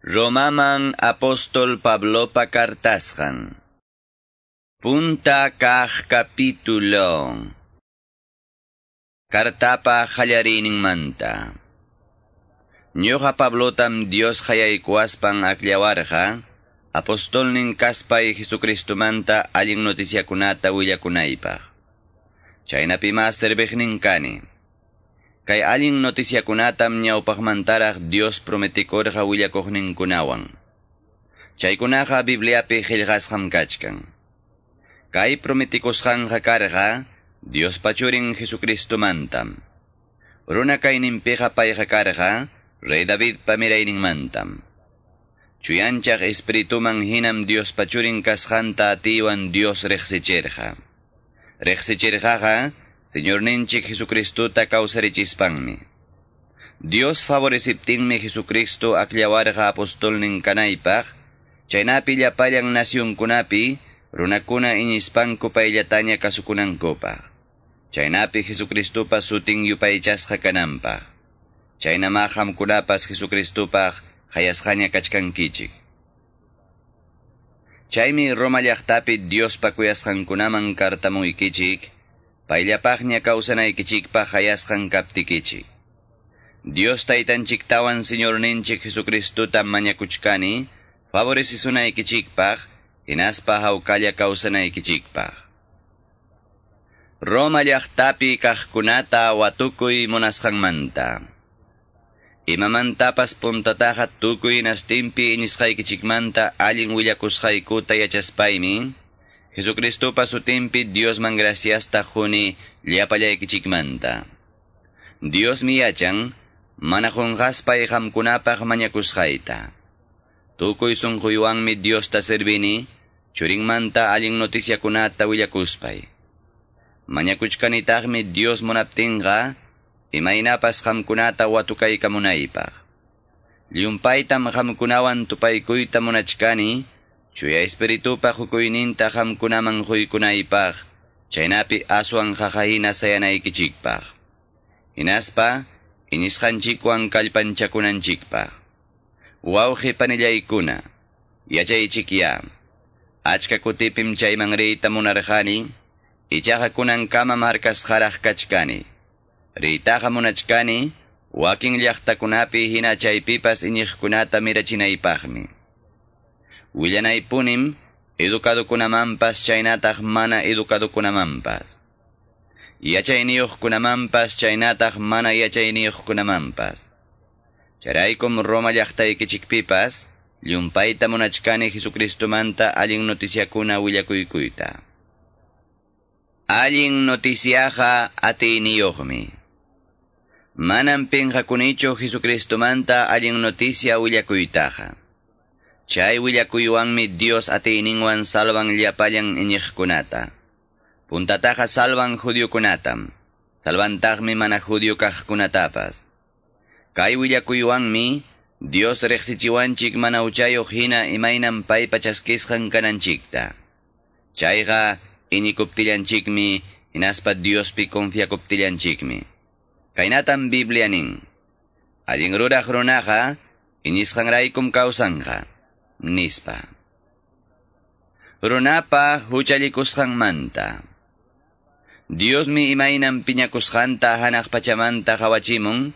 Romaman apóstol Pablopa kartasqan. Punta kaq capítulo. Kartapa qallariyninmanta. Ñuqa Pablotam Dios qayaykuwaspan akllawarqa, apostolnin kaspay Jesucristomanta allin noticiakunata willakunaypaq. Chaynapima serviqnin kani. Kay allin noticiakunatam ñawpaqmantaraq Dios prometikurqa willakuqninkunawan. Chaykunaqa Bibliapi qillqasqam kachkan. Kay prometikusqanqa karqa Diospa churin Jesucristomantam. Runa kayninpiqa payqa karqa Rey Davidpa mirayninmantam. Chuyanchaq espirituman hinam Diospa churin kasqanta atiywan Dios riqsichirqa. Riqsichirqaqa Señorninchik Jesucristota kawsarichispanmi. Dios favoreciptinmi Jesucristo akllawarqa apostolnin kanaypaq, chaynapi llapallan nacionkunapi runakuna iñispanku payllataña kasukunankupaq. Chaynapi Jesucristopa sutin yupaychasqa kananpaq. Chaynama qamkunapas Jesucristopaq qayasqaña kachkankichik. Chaymi Roma llaqtapi Diospa kuyasqankunaman kartamuykichik, payllapaqña kawsanaykichikpaq qayasqan kaptikichik. Dios taytanchiktawan Señorninchik Jesucristota mañakuchkani, favorecisunaykichikpaq, hinaspa hawkalla kawsanaykichikpaq. Roma llaqtapi kaqkunata watukuy munasqanmanta. Imamantapas puntataqa tukuy nastinpi iñisqaykichikmanta allin willakusqaykuta yachaspaymi, Jesucristopa sutinpi Diosman graciasta quni llapallaykichikmanta. Diosmi yachan, mana qunqaspay qamkunapaq mañakusqayta. Tukuy sunquywanmi Diosta servini, churinmanta allin noticiakunata willakuspay. Mañakuchkanitaqmi Dios munaptinqa, imaynapas qamkunata watukaykamunaypaq. Llumpaytam qamkunawan tupaykuyta munachkani, chuya espiritupa hukuyninta qamkunaman quykunaypaq, chaynapi aswan qaqahina sayanaykichikpaq. Hinaspa, iñisqanchikwan kallpanchakunanchikpaq. Wawqi panillaykuna, yachaychikya. Achka kutipim chayman riyta munarqani, ichaqa kunankama markasqaraq kachkani. Riytaqa munachkani, wakin llaqtakunapi hina chaypipas iñiqkunata mirachinaypaqmi. Willanaypunim educadokunamanpas chaynataq mana educadokunamanpas. Yachayniyuqkunamanpas chaynataq mana yachayniyuqkunamanpas. Chayraykum Roma llaqtaykichikpipas llumpayta munachkani Jesucristomanta allin noticiakuna willakuykuyta. Allin noticiaqa atiyniyuqmi. Manam pinqakunichu Jesucristomanta allin noticia willakuytaqa. Chay willakuywanmi Dios atiyninwan salvan llapallan iñiqkunata. Puntataqa salvan judiokunatam, salvantaqmi mana judio kaqkunatapas. Kay willakuywanmi Dios riqsichiwanchik mana huchayuq hina imaynam paypa chaskisqan kananchikta. Chayqa iñikuptillanchikmi hinaspa Diospi confiakuptillanchikmi. Kaynatam Biblia nin: Allin ruraq runaqa iñisqanraykum kawsanqa, nispa. Runapa huchallikusqanmanta. Diosmi imaynam piñakusqanta hanaq pachamanta qawachimun,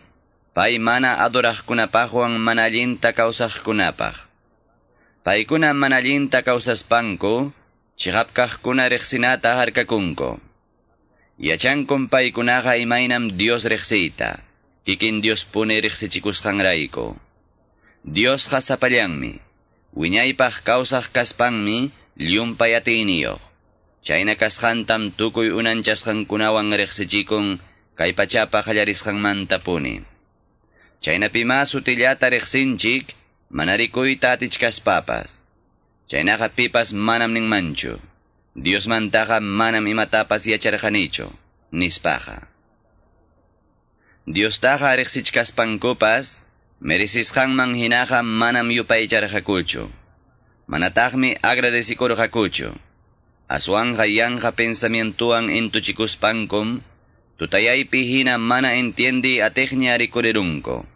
pay mana adoraqkunapaqwan mana allinta kawsaqkunapaq. Paykuna mana allinta kawsaspanku, chiqap kaqkuna riqsinata harkakunku. Yachankum paykunaqa imaynam Dios riqsiyta, kikin Diospuni riqsichikusqanrayku. Diosqa sapallanmi, wiñaypaq kawsaq kaspanmi llumpay atiyniyuq. Chayna kasqantam tukuy unanchasqankunawan riqsichikun kay pachapa qallarisqanmantapuni. Chaynapima sutillata riqsinchik mana rikuyta atichkaspapas. Chaynaqa pipas manam ninmanchu, Diosmantaqa manam imatapas yacharqanichu, nispaqa. Diostaqa riqsichkaspankupas, merecisqanman hinaqa manam yupaycharqakuchu. Manataqmi agradecikurqakuchu. Aswanqa yanqa pensamientuwan intuchikuspankum, tutayaypi hina mana entiendi atiqña rikurirunku.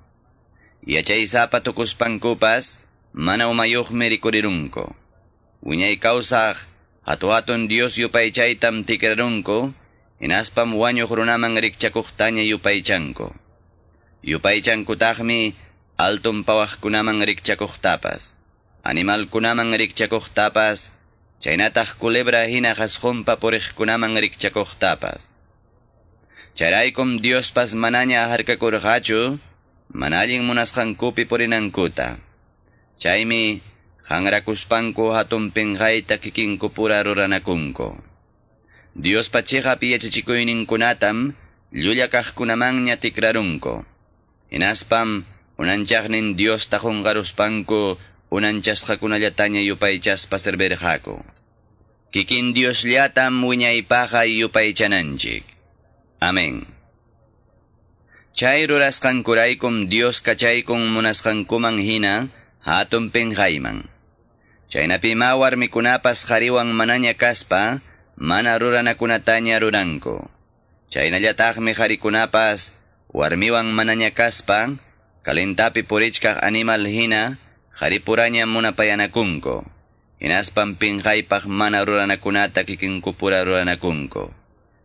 Yachaysapa tukuspankupas, mana umayuqmi rikurirunku. Wiñay kawsaq hatu-hatun Dios yupaychaytam tikrarunku, hinaspam wañuq runaman rikchakuqtaña yupaychanku. Yupaychankutaqmi alton pawaqkunaman rikchakuqtapas, animalkunaman rikchakuqtapas, chaynataq culebra hina qasqunpa puriqkunaman rikchakuqtapas. Chayraykum Diospas manaña harkakurqachu, mana allin munasqankupi purinankuta. Chaymi hanrakuspanku hatun pinqayta kikinkupura ruranakunku. Diospa chiqap yachachikuyninkunatam llulla kaqkunamanña tikrarunku. Hinaspam unanchaqnin Diosta qunqaruspanku unanchasqakunallataña yupaychaspa servirqaku. Kikin Diosllatam wiñaypaqqa yupaychananchik. Amén. Chay rurasqankuraykum Dios kachaykun munasqankuman hina hatun pinqayman. Chaynapima warmikunapas qhariwan manaña kaspa mana ruranakunataña ruranku. Chaynallataqmi qharikunapas warmiwan manaña kaspa kalentapi purichkaq animal hina qharipuraña munapayanakunku. Hinaspam pinqaypaq mana ruranakunata kikinkupura ruranakunku.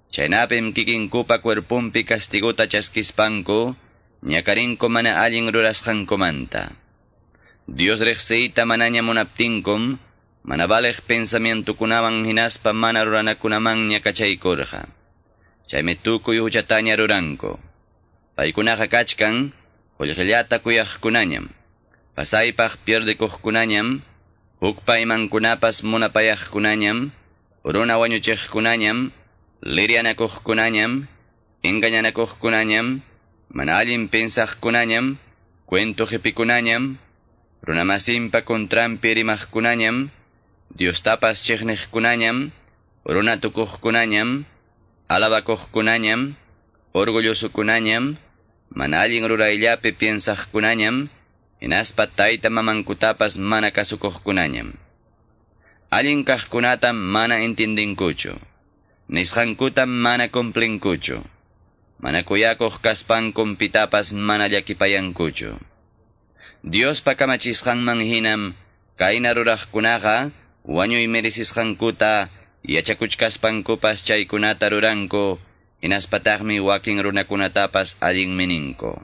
Chaynapim kikinkupa cuerpumpi castigota chaskispanku, ñakarinku mana allin rurasqankumanta. Dios riqsiyta manaña munaptinkum, mana valeq pensamientokunawan hinaspa mana ruranakunamanña kachaykurqa. Chaymi tukuy huchataña ruranku. Paykunaqa kachkan, qullqillata kuyaqkunañam, pasaypaq pierdikuqkunañam, hukpa imankunapas munapayaqkunañam, runa wañuchiqkunañam, lirianakuqkunañam, engañanakuqkunañam, mana allin pensaqkunañam, cuento qipikunañam, runamasinpa contranpi rimaqkunañam, Diostapas chiqniqkunañam, runa tukuqkunañam, alabakuqkunañam, orgullosokunañam, mana allin rurayllapi piensaqkunañam, hinaspa tayta mamankutapas mana kasukuqkunañam. Allin kaqkunatam mana entendinkuchu. Nisqankutam mana cumplinkuchu. Mana kuyakuq kaspankum pitapas mana llakipayankuchu. Diospa kamachisqanman hinam kayna ruraqkunaqa wañuy merecisqankuta yachakuchkaspankupas chaykunata ruranku, hinaspataqmi wakin runakunatapas allinmi ninku.